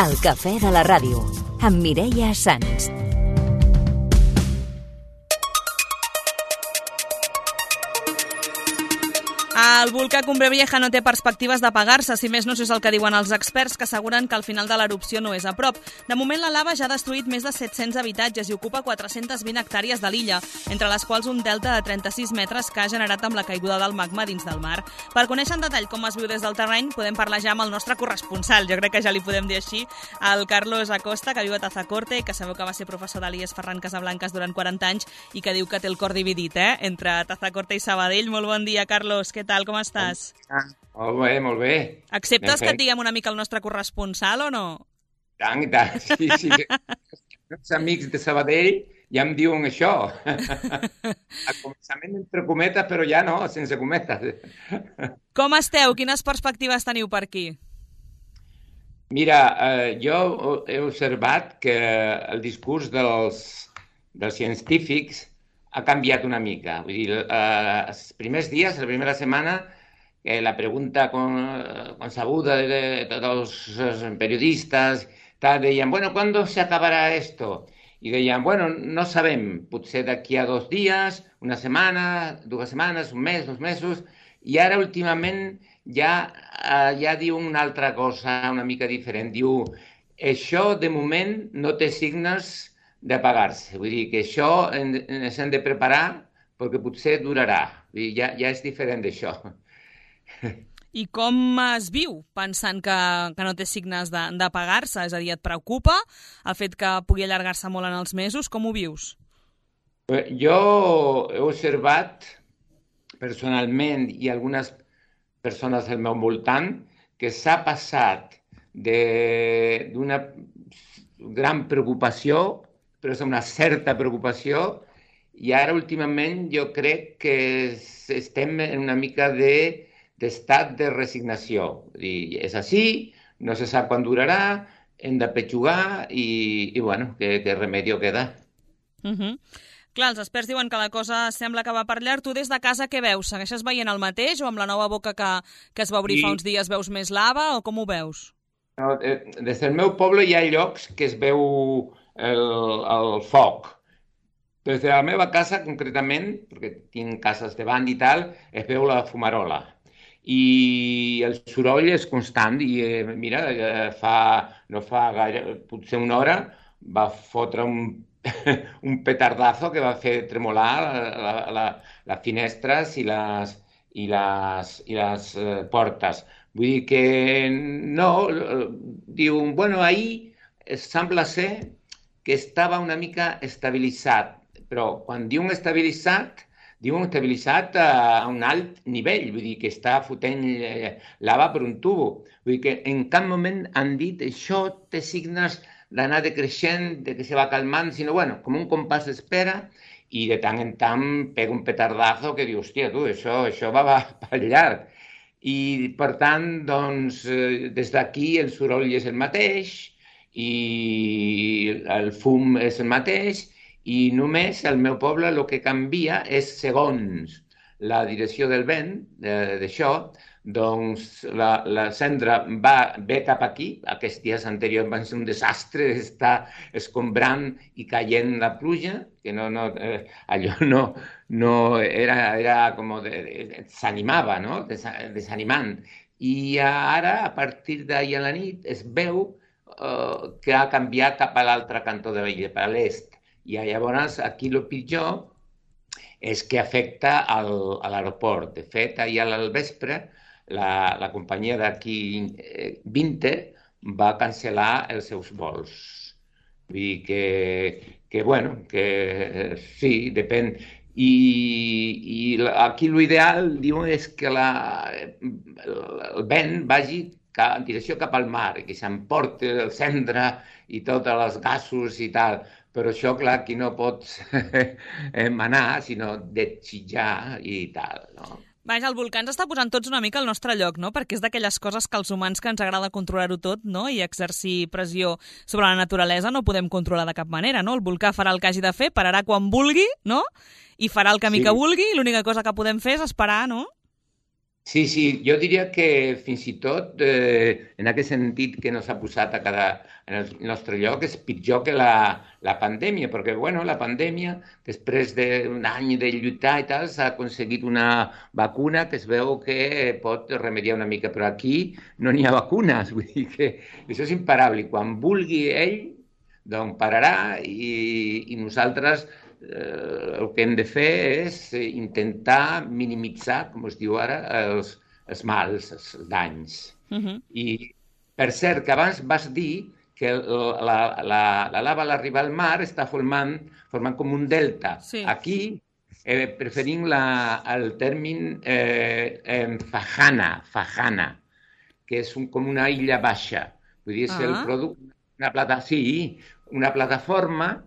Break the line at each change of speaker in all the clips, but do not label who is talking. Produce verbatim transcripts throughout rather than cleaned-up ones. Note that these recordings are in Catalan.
El cafè de la ràdio, amb Mireia Sans.
El volcà Cumbre Vieja no té perspectives d'apagar-se, si més no és el que diuen els experts, que asseguren que el final de l'erupció no és a prop. De moment, la lava ja ha destruït més de set-cents habitatges i ocupa quatre-centes vint hectàrees de l'illa, entre les quals un delta de trenta-sis metres que ha generat amb la caiguda del magma dins del mar. Per conèixer en detall com es viu des del terreny, podem parlar ja amb el nostre corresponsal, jo crec que ja li podem dir així, el Carlos Acosta, que viu a Tazacorte, que sabeu que va ser professor de l'I E S Ferran Casablancas durant quaranta anys i que diu que té el cor dividit, eh?, entre Tazacorte i Sabadell. Molt bon dia, Carlos, què tal? Com estàs?
Ah, molt bé, molt bé.
Acceptes que et diguem una mica el nostre corresponsal o no?
Tant i tant, sí, sí. Els amics de Sabadell ja em diuen això. Al començament entre cometes, però ja no, sense cometes.
Com esteu? Quines perspectives teniu per aquí?
Mira, eh, jo he observat que el discurs dels, dels científics ha canviat una mica. Vull dir, eh, els primers dies, la primera setmana, eh, la pregunta con, consabuda de, de tots els periodistes, tal, deien, bueno, ¿cuándo se acabará esto? I deien, bueno, no sabem, potser d'aquí a dos dies, una setmana, dues setmanes, un mes, dos mesos, i ara últimament ja, eh, ja diu una altra cosa una mica diferent. Diu, això de moment no té signes d'apagar-se. Vull dir que això ens hem de preparar perquè potser durarà. Vull dir, ja, ja és diferent d'això.
I com es viu pensant que, que no té signes d'apagar-se? És a dir, et preocupa el fet que pugui allargar-se molt en els mesos? Com ho vius?
Jo he observat personalment i algunes persones al meu voltant que s'ha passat d'una gran preocupació, però és una certa preocupació, i ara últimament jo crec que estem en una mica de, d'estat de resignació. I és així, no se sap quan durarà, hem de petjugar i, i bueno, que, que remedio queda.
Uh-huh. Clar, els experts diuen que la cosa sembla que va per llarg. Tu des de casa què veus? Segueixes veient el mateix o amb la nova boca que, que es va obrir I... fa uns dies veus més lava o com ho veus?
No, des del meu poble hi ha llocs que es veu el, el foc. Des de la meva casa, concretament, perquè tinc cases davant i tal, es veu la fumarola. I el soroll és constant i, eh, mira, fa, no fa gaire, potser una hora, va fotre un, un petardazo que va fer tremolar la, la, les finestres i les, i les, i les eh, portes. Vull dir que no, diu, bueno, ahir sembla ser que estava una mica estabilitzat, però quan diuen estabilitzat, diuen estabilitzat a un alt nivell, vull dir que està fotent lava per un tubo. Vull dir que en cap moment han dit això té signes d'anar decreixent, de que se va calmant, sinó, bueno, com un compàs d'espera, i de tant en tant pega un petardazo que diu, hòstia, tu, això, això va, va per llarg. I, per tant, doncs, des d'aquí el soroll és el mateix i el fum és el mateix i només al meu poble el que canvia és segons la direcció del vent d'això, doncs la, la cendra va, ve cap aquí. Aquests dies anteriors van ser un desastre, està escombrant i caient la pluja, que no, no, eh, allò no, no era, era com de, de, s'animava, no? Des, desanimant. I ara, a partir d'ahir a la nit, es veu eh, que ha canviat cap a l'altre cantó de l'illa, per a l'est. I llavors aquí el pitjor és que afecta al, a l'aeroport. De fet, ahir al vespre, la, la companyia d'aquí, eh, Vinter, va cancel·lar els seus vols. Vull dir que, que bueno, que sí, depèn. I, i aquí l'ideal, diuen, és que la, el vent vagi en direcció cap al mar, que s'emporti el cendra i tots els gasos i tal. Però això, clar, aquí no pots manar, sinó desitjar i tal, no?
Vaja, el volcà ens està posant tots una mica al nostre lloc, no? Perquè és d'aquelles coses que als humans que ens agrada controlar-ho tot, no? I exercir pressió sobre la naturalesa no podem controlar de cap manera, no? El volcà farà el que hagi de fer, pararà quan vulgui, no? I farà el camí sí. que vulgui, i l'única cosa que podem fer és esperar, no?
Sí, sí, jo diria que fins i tot, eh, en aquest sentit que nos ha posat a cada, en el nostre lloc, és pitjor que la, la pandèmia, perquè, bueno, la pandèmia, després d'un any de lluitar i tal, s'ha aconseguit una vacuna que es veu que pot remediar una mica, però aquí no n'hi ha vacunes, vull dir que això és imparable. I quan vulgui ell, doncs pararà i, i nosaltres eh, el que hem de fer és intentar minimitzar, com es diu ara, els, els mals, els danys.
Uh -huh.
I, per cert, que abans vas dir que la, la, la lava a l'arribar al mar està formant, formant com un delta.
Sí.
Aquí eh, preferim la, el terme eh, eh, fajana, fajana, que és un, com una illa baixa. Vull dir, és
Ah.
el producte, una, plata, sí, una plataforma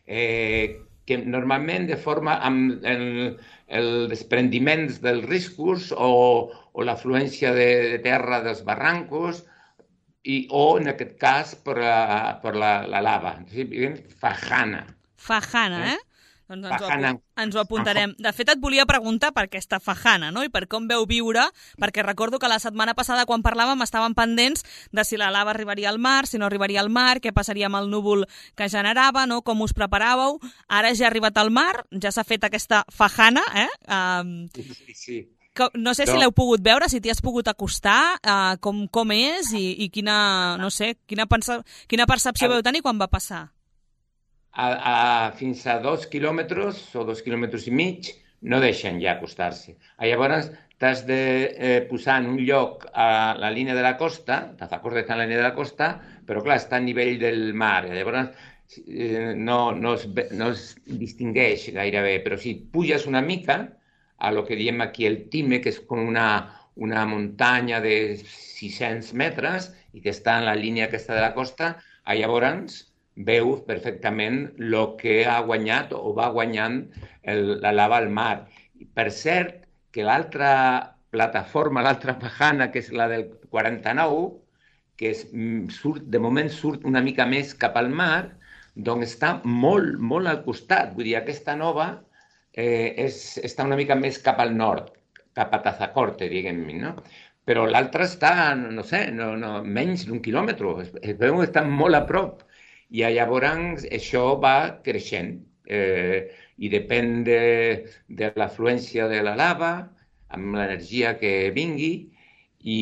eh, que normalment de forma amb el, el desprendiment dels riscos o, o l'afluència de, de terra dels barrancos i, o, en aquest cas, per la, per la, la lava. Sí, fajana.
Fajana, eh? Doncs ens,
Fajana.
ho, ens ho apuntarem. De fet, et volia preguntar per aquesta fajana, no? I per com veu viure, perquè recordo que la setmana passada, quan parlàvem, estaven pendents de si la lava arribaria al mar, si no arribaria al mar, què passaria amb el núvol que generava, no? Com us preparàveu. Ara ja ha arribat al mar, ja s'ha fet aquesta fajana, eh? Um,
Sí, sí.
no sé si
No.
l'heu pogut veure, si t'hi has pogut acostar, uh, com, com és i, i quina, no sé, quina, pensa, quina percepció
A-
veu tenir quan va passar.
A, a, fins a dos quilòmetres o dos quilòmetres i mig no deixen ja acostar-se. Llavors t'has de eh, posar en un lloc a la línia de la costa, t'acordes d'estar en la línia de la costa, però clar, està a nivell del mar. Llavors eh, no, no, es, ve- no es distingueix gairebé, però si puges una mica a lo que diem aquí el Time, que és com una, una muntanya de sis-cents metres i que està en la línia aquesta de la costa, llavors veu perfectament el que ha guanyat o va guanyant el, la lava al mar. I per cert, que l'altra plataforma, l'altra pajana, que és la del quaranta-nou, que és, surt, de moment surt una mica més cap al mar, doncs està molt, molt al costat. Vull dir, aquesta nova eh, és, està una mica més cap al nord, cap a Tazacorte, diguem-ne, no? Però l'altra està, no sé, no, no, menys d'un quilòmetre. Es, es veu que està molt a prop. I llavors això va creixent eh, i depèn de, de l'afluència de la lava, amb l'energia que vingui i,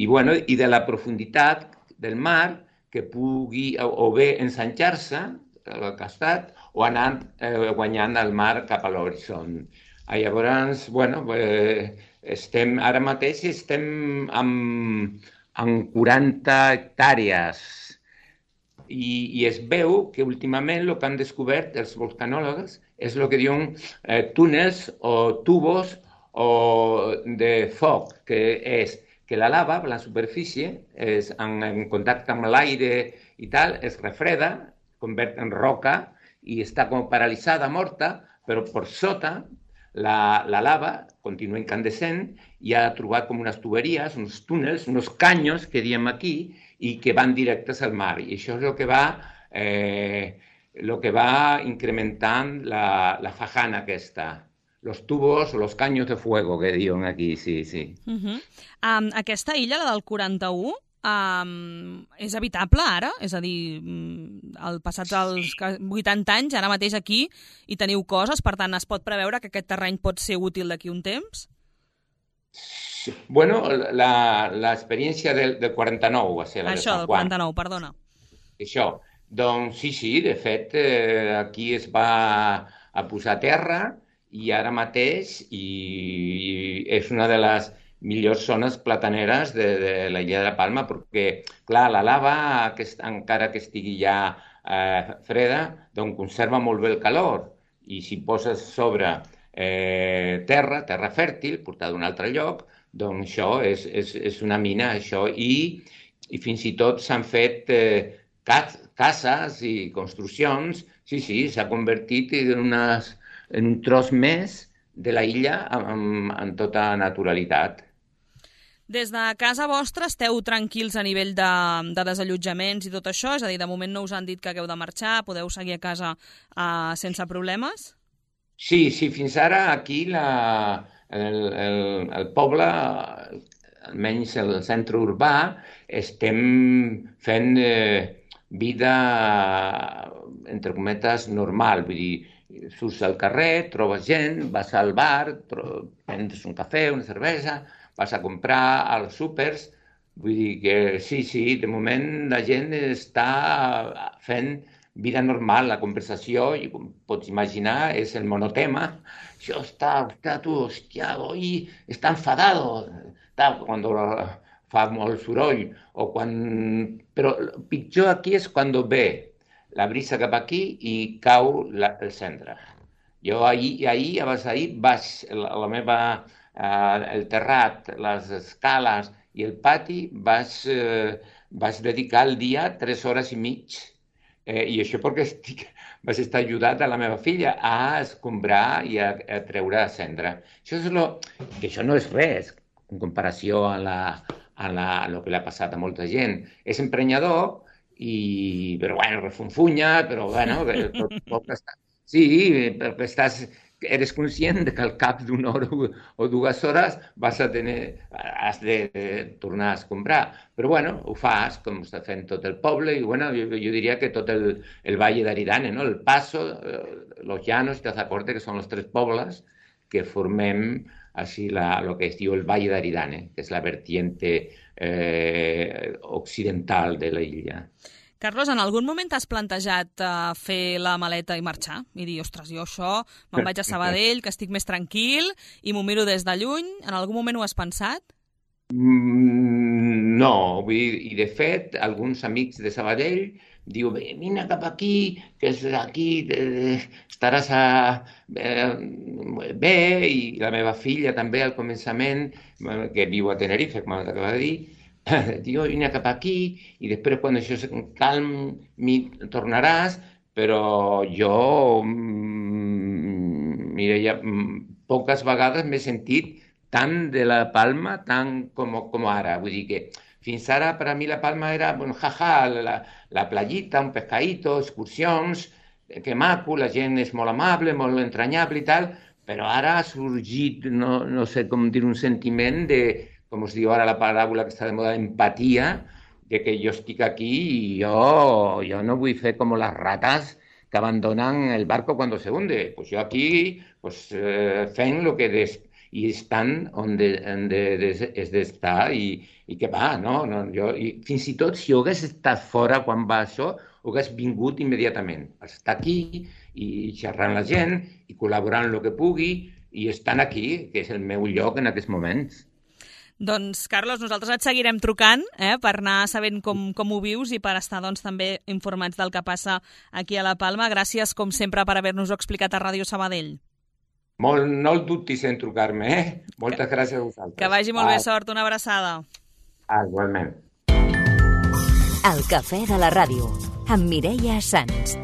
i, bueno, i de la profunditat del mar que pugui o, o bé ensanxar-se al costat o anar eh, guanyant el mar cap a l'horitzó. Llavors, bueno, eh, estem, ara mateix estem amb, amb quaranta hectàrees i, i es veu que últimament el que han descobert els volcanòlegs és el que diuen eh, túnels o tubos o de foc, que és que la lava, la superfície, és en, en contacte amb l'aire i tal, es refreda, convert en roca i està com paralitzada, morta, però per sota la, la lava continua incandescent i ha trobat com unes tuberies, uns túnels, uns canyos, que diem aquí, i que van directes al mar. I això és el que va, eh, el que va incrementant la, la fajana aquesta. Los tubos o los caños de fuego, que diuen aquí, sí, sí.
Uh -huh. um, aquesta illa, la del quaranta-u, um, és habitable ara? És a dir, al passats els vuitanta anys, ara mateix aquí, hi teniu coses, per tant, es pot preveure que aquest terreny pot ser útil d'aquí un temps?
Sí. Bueno, l'experiència del, del quaranta-nou va ser la
Això,
de Sant
del
Juan.
quaranta-nou, perdona.
Això. Doncs sí, sí, de fet, eh, aquí es va a posar terra i ara mateix i és una de les millors zones plataneres de, de la illa de la Palma, perquè, clar, la lava, que encara que estigui ja eh, freda, doncs conserva molt bé el calor. I si poses sobre eh, terra, terra fèrtil, portada d'un altre lloc, doncs això és, és, és una mina, això. I, i fins i tot s'han fet eh, cases i construccions. Sí, sí, s'ha convertit en unes en un tros més de la illa en, en tota naturalitat.
Des de casa vostra esteu tranquils a nivell de, de desallotjaments i tot això? És a dir, de moment no us han dit que hagueu de marxar, podeu seguir a casa uh, sense problemes?
Sí, sí, fins ara aquí la, el, el, el poble, almenys el centre urbà, estem fent eh, vida, entre cometes, normal. Vull dir, surts al carrer, trobes gent, vas al bar, prens un cafè, una cervesa, vas a comprar als súpers. Vull dir que sí, sí, de moment la gent està fent vida normal, la conversació, i com pots imaginar, és el monotema. Això està, hòstia, tu, hòstia, hoy està enfadado, està, quan fa molt soroll, o quan... Però el pitjor aquí és quan ve la brisa cap aquí i cau la, el centre. Jo ahir, ahir abans d'ahir, vaig, la, la meva, eh, el terrat, les escales i el pati, vaig, eh, vaig dedicar el dia tres hores i mig. Eh, I això perquè estic, vaig estar ajudat a la meva filla a escombrar i a, a treure a cendra. Això és lo, que això no és res en comparació a, la, a, la, a lo que li ha passat a molta gent. És emprenyador, i, però bueno, refunfunya, però bueno, tot, tot està... Sí, perquè estàs, eres conscient de que al cap d'una hora o dues hores vas a tenir, has de, de tornar a escombrar. Però bueno, ho fas, com està fent tot el poble, i bueno, jo, jo diria que tot el, el Valle d'Aridane, no? El Paso, eh, Los Llanos i Tazacorte, que són els tres pobles que formem així la, lo que es diu el Valle d'Aridane, que és la vertiente eh, occidental de la illa.
Carlos, en algun moment t'has plantejat uh, fer la maleta i marxar? I dir, ostres, jo això, me'n vaig a Sabadell, que estic més tranquil, i m'ho miro des de lluny. En algun moment ho has pensat?
Mm, no, vull dir, i de fet, alguns amics de Sabadell diu, vine cap aquí, que és aquí, eh, estaràs a, eh, bé, i la meva filla també al començament, que viu a Tenerife, com acaba de dir, diu, vine cap aquí, i després quan això se calmi tornaràs, però jo, mira, ja poques vegades m'he sentit tant de la Palma tant com, com ara. Vull dir que fins ara per a mi la Palma era, bueno, jaja, la, la playita, un pescadito, excursions, que maco, la gent és molt amable, molt entranyable i tal, però ara ha sorgit, no, no sé com dir, un sentiment de, com us diu ara la paràbola que està de moda, empatia, de que jo estic aquí i jo, jo no vull fer com les ratas que abandonan el barco cuando se hunde. Pues yo aquí pues, eh, fent lo que des, i estan on de, on de, de, és d'estar i, i que va, no? no jo, i fins i tot si ho hagués estat fora quan va això, ho hagués vingut immediatament. Estar aquí i xerrant la gent i col·laborant el que pugui i estan aquí, que és el meu lloc en aquests moments.
Doncs, Carlos, nosaltres et seguirem trucant eh, per anar sabent com, com ho vius i per estar doncs, també informats del que passa aquí a la Palma. Gràcies, com sempre, per haver-nos-ho explicat a Ràdio Sabadell.
Molt, no el dubtis en trucar-me, eh? Moltes que, gràcies a vosaltres.
Que vagi molt ah. bé, sort. Una abraçada.
Ah, igualment.
El cafè de la ràdio, amb Mireia Sans.